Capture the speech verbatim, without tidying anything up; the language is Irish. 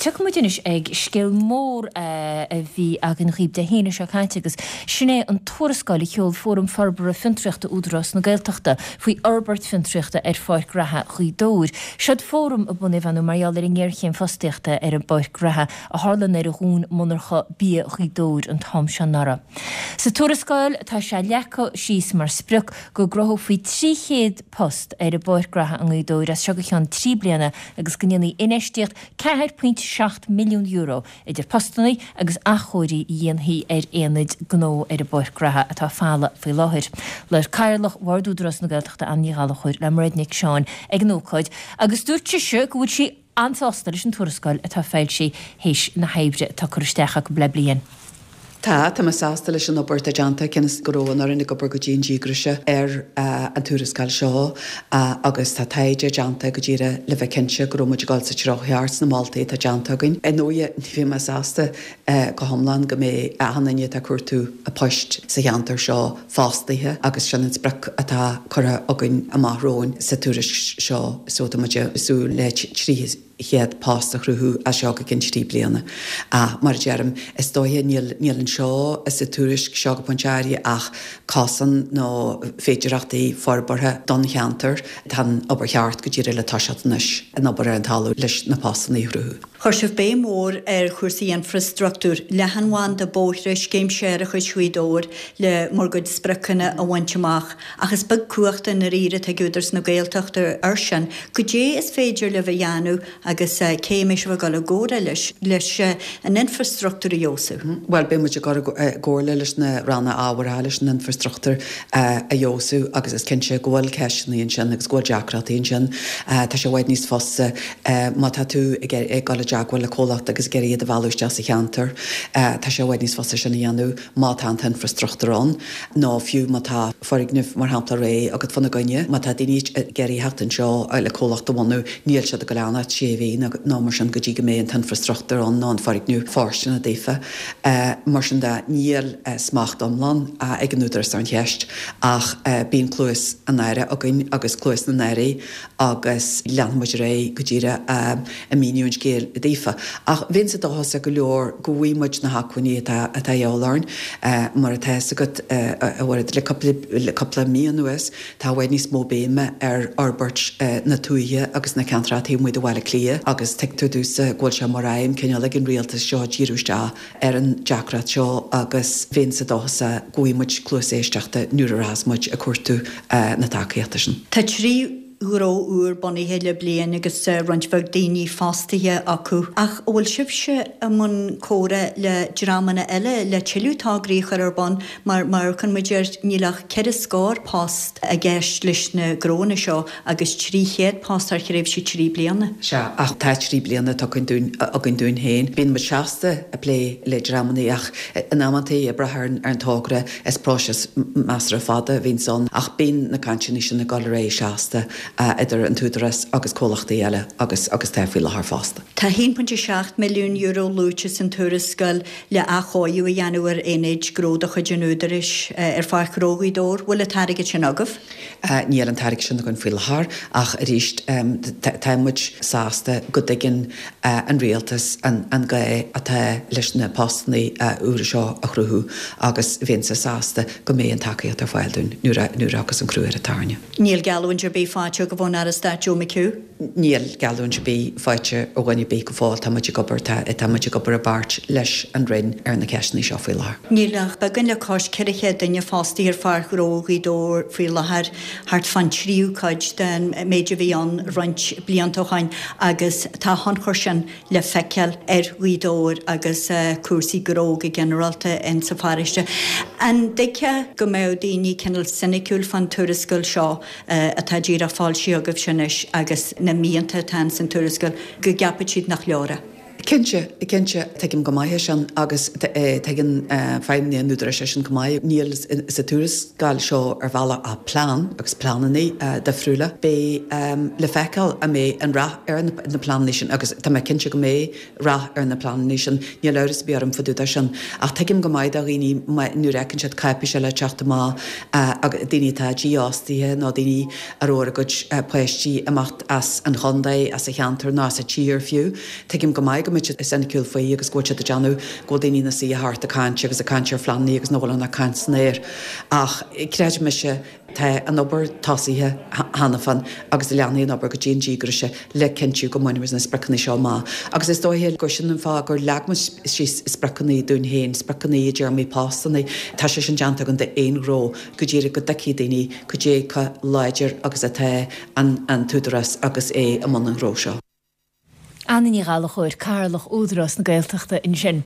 Tiocfaidh muid anois ag scéal mór a bhí againn dhaoibh Dé hAoine seo caite agus sin é an tuarascáil a sheol Fóram Forbartha Fiontraíochta Údarás na Gaeltachta faoi fhorbairt fiontraíochta ar Pháirc Reatha Ghaoth Dobhair. Seod fóram a bunaíodh mar gheall ar an ngéarchéim fostaíochta ar an bPáirc Reatha a tharla ar dhún monarcha bia Ghaoth Dobhair an t-am seo anuraidh. Sa tuarascáil tá sé leagtha síos mar sprioc go gcruthófaí trí chéad post ar an bPáirc Reatha i nGaoth Dobhair as seo go ceann trí bliana agus go ndéanfaí infheistíocht ceathair pointe seacht milliún euro idir postanna agus athchóiriú a dhéanfaí ar aonaid gnó ar an bPáirc Reatha atá folamh faoi láthair. Labhair Cathaoirleach Bhord Údarás na Gaeltachta Ann Ní Ghallchóir le Mairéad Nic Seáin ag an ócáid agus dúirt sise go bhfuil sí an-sásta leis an tuarascáil atá foilsithe théis na hoibre atá curtha isteach acu le bliain. Tá tá mé sásta leis an obair atá déanta cionn is go raibh an fhoireann ag obair go dian díograiseach ar an tuarascáil seo agus tá taighde déanta go díreach le bheith cinnte go raibh muid ag dul sa treo cheart sna moltaí atá déanta againn. Ar ndóigh ní bheidh mé sásta go hiomlán go mbeidh achan duine atá ag cuartú poist sa cheantar seo fostaithe agus sin an sprioc atá curtha againn amach romhainn sa tuairisc seo so tá muid ag súil le trí chéad post a chruthú as seo go ceann trí bliana. Ach mar a deirim, is dóiche níl níl anseo sa tuairisc seo go pointe áirithe ach cosán nó féidearthachtaí forbartha don cheantar. Tá an obair cheart go díreach le toiseacht anois, an obair ar an talamh leis na postanna a chruthú. Chuir sibh béim mhór ar chúrsaí infreastruchtúir, leathanbhanda, bóithre, scéim séarachais Ghaoth Dobhair le bhur gcuid spriocanna a bhaint amach. Ach is beag cumhacht i ndáiríre atá ag Údarás na Gaeltachta air sin. Goidé is féidir libh a dhéanamh agus cé a mbeidh sibh ag dul i gcomhairle leis leis an infreastruchtúr a fheabhsú? Bhuel, beidh muid ag dul i gcomhairle leis na ranna ábhartha leis an infreastruchtúr a fheabhsú agus is cinnte go bhfuil ceisteanna ansin agus go bhfuil deacrachtaí ansin. Tá sé i bhfad níos fusa má tá tú ag dul i dteagmháil le comhlacht agus ag iarraidh iad a mhealladh isteach sa cheantar, tá sé i bhfad níos fusa sin a dhéanamh má tá an t-infreastruchtúr ann nó fiú má tá foirgneamh, mar shampla, réidh agat fána gcoinne. Má tá daoine ag iarraidh theacht anseo le comhlacht a bhunú, níl siad ag dul a fhanacht sé mhí nó mar sin go dtí go mbeidh an t-infreastruchtúr ann nó an foirgneamh fóirsteanach daofa. Mar sin de, níl smacht iomlán ag an Údarás ar an cheist ach bíonn cluas an Aire againn agus cluas na nAirí agus leanfaidh muid ar aghaidh go díreach ag míniú an scéil daofa. Ach bheinnse dóchasach go leor go bhfaighidh muid na hacmhainní atá atá a dhíobháil orainn. Mar atá fhios agat, a Mhairéad, le cúpla le cúpla mí anuas tá i bhfad níos mó béime ar fhorbairt na tuaithe agus na ceantracha taobh amuigh de Bhaile Átha Cliath agus tuigtear domhsa go bhfuil sé mar aidhm cineál ag an rialtas seo díriú isteach ar an deacracht seo agus bheinnse dóchasach go bhfaighidh muid cluas éisteachta nuair a rachas muid ag cuartú na tacaíochta sin. Tá trí ghnó úr bunaithe le bliain agus roinnt bheag daoine fostaithe acu. Ach an bhfuil sibhse i mbun comhrá le dreamanna eile le tuilleadh tograí a chur ar bun mar, mar a chonaic muid air, níl ach ceithre scór post i gceist leis na gnóanna seo agus trí chéad post thar thréimhse trí bliana. Sea, ach tá trí bliana tugtha againn dúinn féin. Bíonn muid seasta ag plé le dreamanna ach in amantaí, ag brath ar an togra, is próiseas measartha fada a bhíonns ann ach bíonn na cainteanna sin ag dul ar aghaidh seasta idir an tÚdarás agus comhlachtaí eile agus agus tá faoi láthair fosta. Tá a haon pointe seacht milliún euro luaite san tuarascáil le athchóiriú a dhéanamh ar aonaid gnó de chuid an Údaráis ar Pháirc Ghnó Ghaoth Dobhair. Bhfuil an t-airgead sin agaibh? Níl an t-airgead sin againn faoi láthair ach arís tá muid sásta go dtuigeann an Rialtas an gá atá leis na postanna úra seo a chruthú agus bheinnse sásta go mbeidh an tacaíocht ar fáil dúinn nuair a nuair a thiocfas an crú ar an tairne. Níl geallúint ar bith faighte agaibh ón Aire Stáit Joe McHugh? Níl geallúint ar bith faighte ó dhuine ar bith go fóill. Tá muid ag obair, tá, tá muid ag obair i bpáirt leis an Roinn ar na ceisteanna seo faoi láthair. Níl ach beagán le cois ceithre chéad duine fostaithe ar Pháirc Ghnó Ghaoth Dobhair faoi láthair, thart fán tríú cuid den méid a bhí ann roinnt blianta ó shoin agus tá a thionchar sin le feiceáil ar Ghaoth Dobhair agus cúrsaí gnó go ginearálta in sa pharóiste. An dtuigfeá go mbeadh daoine cineál soiniciúil fán tuarascáil seo atá díreach foilsithe agaibhse anois agus na mianta atá in san tuarascáil, go gceapfadh siad nach leor é? Cinnte, cinnte, tuigim go maith é sin agus tuigeann feidhmeannaigh an Údaráis é sin go maith. Níl sa tuarascáil seo ar bhealach ach plean agus pleananna difriúla. Beidh le feiceáil an mbeidh an rath ar na pleananna sin agus tá mé cinnte go mbeidh rath ar na pleananna sin, níl amhras ar bith orm fá dtaobh de sin. Ach tuigim go maith do dhaoine nuair a fheiceann siad cáipéis eile ag teacht amach, daoine atá dífhostaithe nó daoine a raibh ar a gcuid páistí imeacht as an chontae, as an cheantar nó as an tír fiú, tuigim go maith maith go mbeidh siad soiniciúil faoi agus go bhfuil siad ag déanamh go bhfuil daoine ina suí thart ag caint agus ag caint ar phleananna agus nach bhfuil ann ach caint san aer. Ach creid mise, tá an obair tosaithe cheana féin agus leanfaidh an obair go dian díograiseach le cinntiú go mbainfimid na spriocanna seo amach. Agus is dóiche gur sin an fáth gur leag muid síos spriocanna dúinn féin, spriocanna i dtéarmaí postanna. Tá sé sin déanta againn d'aon ghnó go díreach go dtuigfidh daoine cad é chomh láidir agus atá an tÚdarás agus é i mbun an ghnó seo. Anna Ní Ghallchóir, Cathaoirleach Údarás na Gaeltachta ansin.